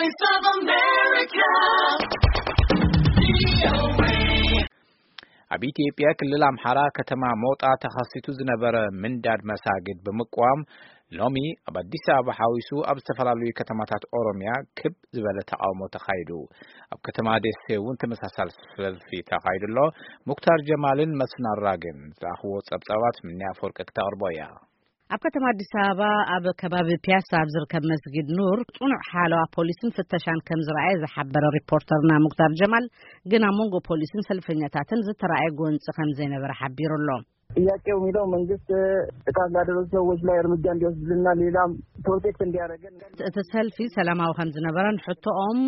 Voice of America. ኣብ ኢትዮጵያ ክልል ኣምሓራ ከተማ ሞጣ ተኸሲቱ ዝነበረ ምንዳድ መሳግድ ብምቅዋም፣ ሎሚ ኣብ ኣዲስ ኣበባ ሓዊሱ ኣብ ዝተፈላለዩ ከተማታት ኦሮምያ ክብ ዝበለ ተቃውሞ ተኻይዱ። ኣብ ከተማ ደሴ እውን ተመሳሳሊ ሰልፊ ተኻይዱ ኣሎ። ሙክታር ጀማልን መስፍን ኣራግን ዝኣኽዎ ጸብጻባት ምንያ ኣፈወርቂ ክተቕርቦ እያ። ኣብ ከተማ ኣዲስ ኣበባ ኣብ ከባቢ ፒያሳ ኣብ ዝርከብ መስጊድ ኑር ጽኑዕ ሓለዋ ፖሊስን ፍተሻን ከም ዝረኣየ ዝሓበረ ሪፖርተርና ሙክታር ጀማል፣ ግን ኣብ መንጎ ፖሊስን ሰልፈኛታትን ዝተረኣየ ጎንጺ ከም ዘይነበረ ሓቢሩ ኣሎ። ጥያቄው የሚለው መንግስት ጥቃት ላደረሱ ሰዎች ላይ እርምጃ እንዲወስድልና ሌላም ፕሮቴክት እንዲያደርገን። እቲ ሰልፊ ሰላማዊ ከም ዝነበረን ሕቶኦም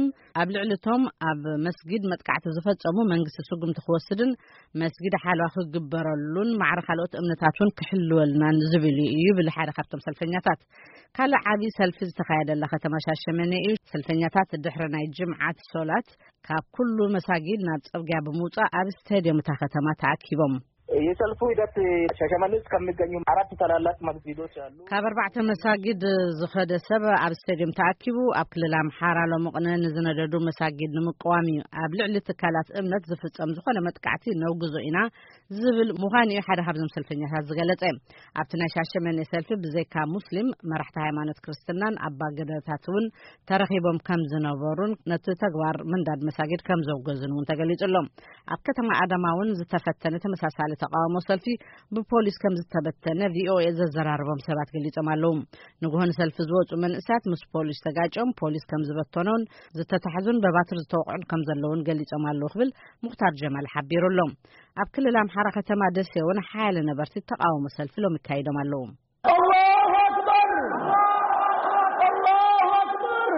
ኣብ ልዕሊ እቶም ኣብ መስጊድ መጥቃዕቲ ዝፈጸሙ መንግስቲ ስጉምቲ ክወስድን መስጊድ ሓለዋ ክግበረሉን ማዕረ ካልኦት እምነታት እውን ክሕልወልናን ዝብል እዩ ይብል ሓደ ካብቶም ሰልፈኛታት። ካልእ ዓብዪ ሰልፊ ዝተኻየደላ ከተማ ሻሸመኔ እዩ። ሰልፈኛታት ድሕሪ ናይ ጅምዓት ሶላት ካብ ኩሉ መሳጊድ ናብ ጽርግያ ብምውጻእ ኣብ ስቴድየም እታ ከተማ ተኣኪቦም። የሰልፉ ሂደት ሻሸመኔ ውስጥ ከሚገኙ አራት ታላላቅ መስጊዶች አሉ። ካብ ኣርባዕተ መሳጊድ ዝኸደ ሰብ ኣብ ስቴድየም ተኣኪቡ ኣብ ክልል ኣምሓራ ሎምቕነ ንዝነደዱ መሳጊድ ንምቅዋም እዩ። ኣብ ልዕሊ ትካላት እምነት ዝፍጸም ዝኾነ መጥቃዕቲ ነውግዞ ኢና ዝብል ምዃኑ እዩ ሓደ ካብዞም ሰልፈኛታት ዝገለጸ። ኣብቲ ናይ ሻሸመኔ ሰልፊ ብዘይካ ሙስሊም መራሕቲ ሃይማኖት ክርስትናን ኣባ ገዳታት እውን ተረኺቦም ከም ዝነበሩን ነቲ ተግባር ምንዳድ መሳጊድ ከም ዘውገዙን እውን ተገሊጹ ኣሎ። ኣብ ከተማ ኣዳማ እውን ዝተፈተነ ተመሳሳሊ ተቃውሞ ሰልፊ ብፖሊስ ከም ዝተበተነ ቪኦኤ ዘዘራረቦም ሰባት ገሊጾም ኣለዉ። ንግሆ ንሰልፊ ዝወጹ መንእሰያት ምስ ፖሊስ ተጋጭዮም ፖሊስ ከም ዝበተኖን ዝተታሕዙን በባትር ዝተወቕዑን ከም ዘለውን ገሊጾም ኣለዉ ክብል ሙክታር ጀማል ሓቢሩ ኣሎ። ኣብ ክልል ኣምሓራ ከተማ ደሴ እውን ሓያለ ነበርቲ ተቃውሞ ሰልፊ ሎም ይካይዶም ኣለዉ። الله أكبر! الله أكبر!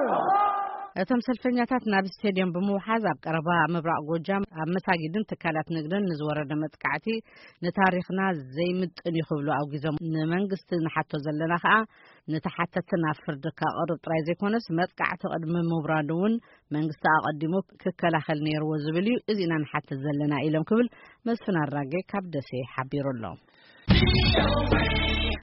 እቶም ሰልፈኛታት ናብ ስቴድየም ብምውሓዝ ኣብ ቀረባ ምብራቕ ጎጃም ኣብ መሳጊድን ትካላት ንግድን ንዝወረደ መጥቃዕቲ ንታሪኽና ዘይምጥን እዩ ክብሉ ኣውጊዞም ንመንግስቲ ንሓቶ ዘለና ከኣ ንተሓተቲ ናብ ፍርዲ ከቕርብ ጥራይ ዘይኮነስ መጥቃዕቲ ቅድሚ ምውራዱ እውን መንግስቲ ኣቐዲሙ ክከላኸል ነይርዎ ዝብል እዩ። እዚ ኢና ንሓትት ዘለና ኢሎም ክብል መስፍን ኣራጌ ካብ ደሴ ሓቢሩ ኣሎ።